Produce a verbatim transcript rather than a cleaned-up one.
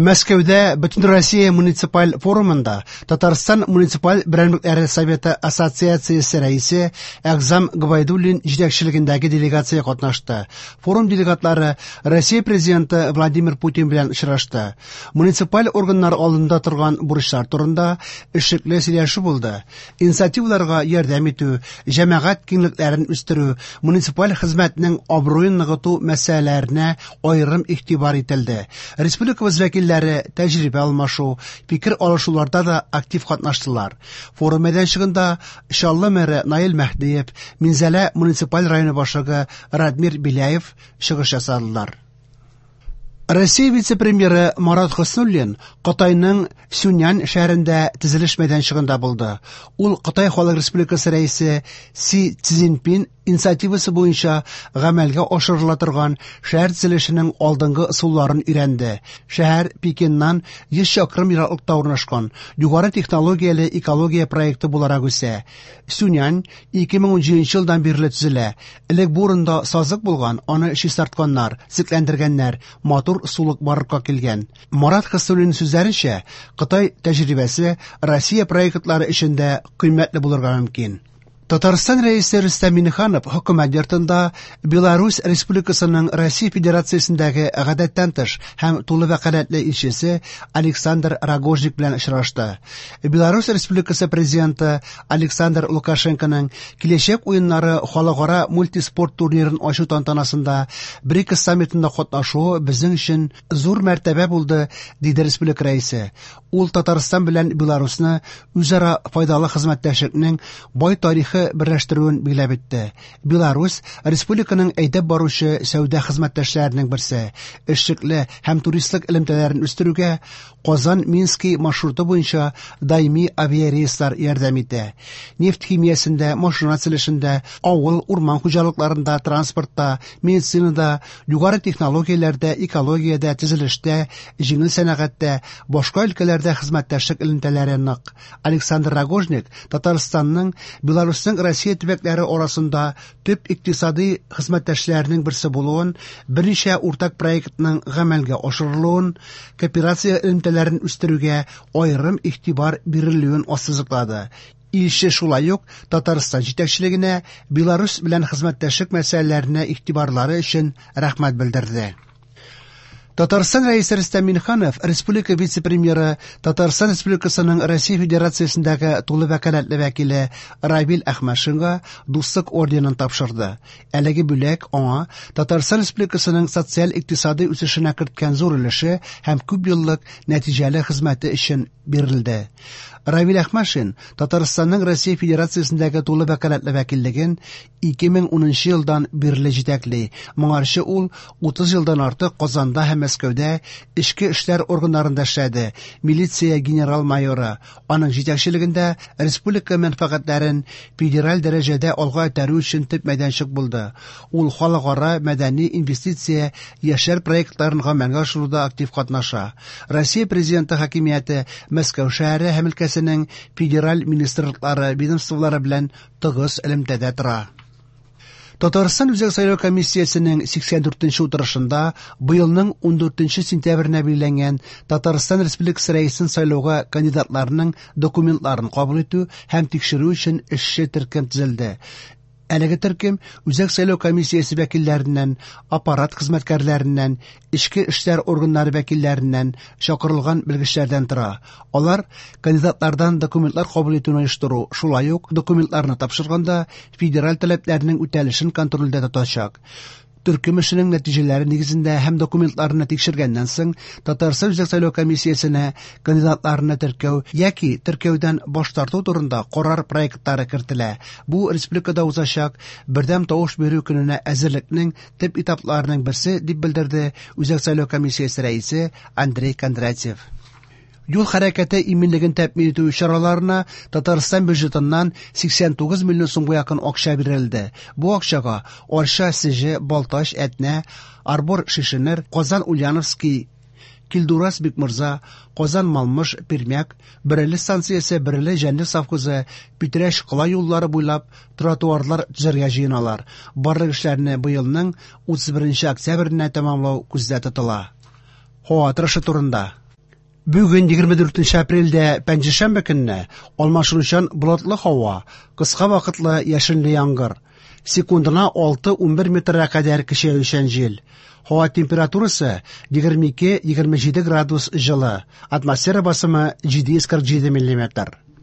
Мәскәүдә Бөтенроссия муниципаль форумында Татарстан муниципаль берәмлекләре советы ассоциациясе рәисе Әгъзам Гобәйдуллин җитәкчелегендәге делегация катнашты. Форум делегатлары Россия президенты Владимир Путин белән очрашты. Муниципаль органнар алдында торган бурычлар турында эшлекле сөйләшү булды. Инициативаларга ярдәм итү, җәмәгать киңлекләрен үстерү, муниципаль хезмәтнең абруен ныгыту мәсьәләләренә аерым игътибар ителде. Республикабыз вәкилләре тәҗрибә алмашу, фикер алышуларда да актив катнаштылар. Форум мәйданчыгында Чаллы мэры Наил Мәһдиев, Минзәлә муниципаль районы башлыгы Радмир Беляев чыгыш ясадылар. Россия вице-премьеры Марат Хөснуллин Кытайның Сюньян шәһәрендә төзелеш мәйданчыгында булды. Ул Кытай Халык Республикасы рәисе Си Цзиньпин инициативасы буенча гамәлгә ашырыла торган шәһәр төзелешенең алдынгы ысулларын өйрәнде. Шәһәр Пекиннан йөз чакрым ераклыкта урнашкан, югары технологияле экология проекты буларак үсә. Сюньян ике мең унҗиденче елдан бирле төзелә. Элек бу урында сазлык булган, аны чистартканнар, төзекләндергәннәр, матур сулык барлыкка килгән. Марат Хөснуллин сүзләренчә, Кытай тәҗрибәсе Россия проектлары өчен дә кыйммәтле булырга мөмкин. Татарстан рәисе Рөстәм Миңнеханов хөкүмәт йортында Беларусь Республикасының Россия Федерациясендәге гадәттән тыш һәм тулы вәкаләтле илчесе Александр Рогожник белән очрашты. Беларусь Республикасы президенты Александр Лукашенконың киләчәк уеннары халыкара мультиспорт турнирын ачу тантанасында БРИКС саммитында катнашуы безнең өчен зур мәртәбә булды, диде республика рәисе. Ул Татарстан белән Беларусьны үзара файдалы хезмәттәшлекнең бай тарихы берләштерүен билгеләп үтте. Беларусь республиканың әйдәп баручы сәүдә хезмәттәшләренең берсе. Эшлекле һәм туристлык элемтәләрен үстерүгә Казан-Минский маршруты буенча даими авиарейслар ярдәм итә. Нефть химиясендә, машина төзелешендә, авыл, урман хуҗалыкларында, транспортта, медицинада, югары технологияләрдә, экологиядә, төзелештә, җиңел сәнәгатьтә, башка өлкәләрдә хезмәттәшлек элемтәләре нык. Александр Рогожник Татарстанның Беларусьның Россия төбәкләре арасында төп икътисади хезмәттәшләренең берсе булуын, берничә уртак проектның гамәлгә ашырылуын, кооперация элемтәләрен үстерүгә аерым игътибар бирелүен ассызыклады. Илче шулай ук Татарстан җитәкчелегенә Беларусь белән хезмәттәшлек мәсьәләләренә игътибарлары өчен рәхмәт белдерде. Татарстан рәисе Рөстәм Миңнеханов республика вице-премьеры Татарстан Республикасының Россия Федерациясендәге тулы вәкаләтле вәкиле Равил Әхмәтшинга Дуслык орденын тапшырды. Әлеге бүләк аңа Татарстан Республикасының социаль-икътисади үсешенә керткән зур өлеше һәм күп еллык нәтиҗәле хезмәте өчен бирелде. Равил Әхмәтшин Татарстанның Россия Федерациясендәге тулы вәкаләтле вәкиллеген ике мең унынчы елдан бирле җитәкли. Моңарчы ул утыз елдан артык Казанда һәм Мәскәүдә эчке эшләр органнарында эшләде. Милиция генерал-майоры. Аның җитәкчелегендә республика мәнфәгатьләрен федераль дәрәҗәдә алга этәрү өчен төп мәйданчык булды. Ул халыкара мәдәни инвестиция яшьләр проектларын гамәлгә ашыруда актив катнаша. Россия президенты хакимияте Мәскәү шәһәре һәм өлкәсенең федераль министрлыклары, ведомстволары белән тыгыз элемтәдә тора. Татарстан Үзәк сайлау комиссиясенең сиксән дүртенче утырышында быелның ундүртенче сентябренә билгеләнгән Татарстан Республикасы рәисен сайлауга кандидатларның документларын кабул итү һәм тикшерү өчен эшче төркем төзелде. Әлеге төркем Үзәк сайлау комиссиясе вәкилләреннән, аппарат хезмәткәрләреннән, эчке эшләр органнары вәкилләреннән чакырылган белгечләрдән тора. Алар кандидатлардан документлар кабул итүне оештыру, шулай ук документларны тапшырганда федераль таләпләрнең үтәлешен контрольдә тотачак. Төркем эшенең нәтиҗәләре нигезендә һәм документларны тикшергәннән соң Татарстан Үзәк сайлау комиссиясенә кандидатларны теркәү яки теркәүдән баш тарту турында карар проектлары кертелә. Бу республикада узачак бердәм тавыш бирү көненә әзерлекнең төп этапларының берсе, дип белдерде Үзәк сайлау комиссиясе рәисе Андрей Кондратьев. Юл хәрәкәте иминлеген тәэмин итү чараларына Татарстан бюджетыннан сиксән тугыз миллион сумга якын акча бирелде. Бу акчага Арча, Сеҗе, Балтач, Әтнә, Арбор, Шешенер, Казан, Ульяновский, Килдураз, Бикмурза, Казан, Малмыж, Пермяк, Бөреле станциясе, Бөреле Җәнлек совхозы, Питрәч кала юллары буйлап тротуарлар төзергә җыеналар. Барлык эшләрне быелның утыз беренче октябренә тәмамлау күздә тотыла. Һава торышы турында. Бүген егерме дүртенче апрельдә пәнҗешәмбе көнне алмашынучан болытлы һава, кыска вакытлы яшенле яңгыр. Секундына алты-унбер метрга кадәр көчәючән җил. Һава температурасы егерме ике-егерме җиде градус җылы. Атмосфера басымы җиде йөз кырык җиде миллиметр.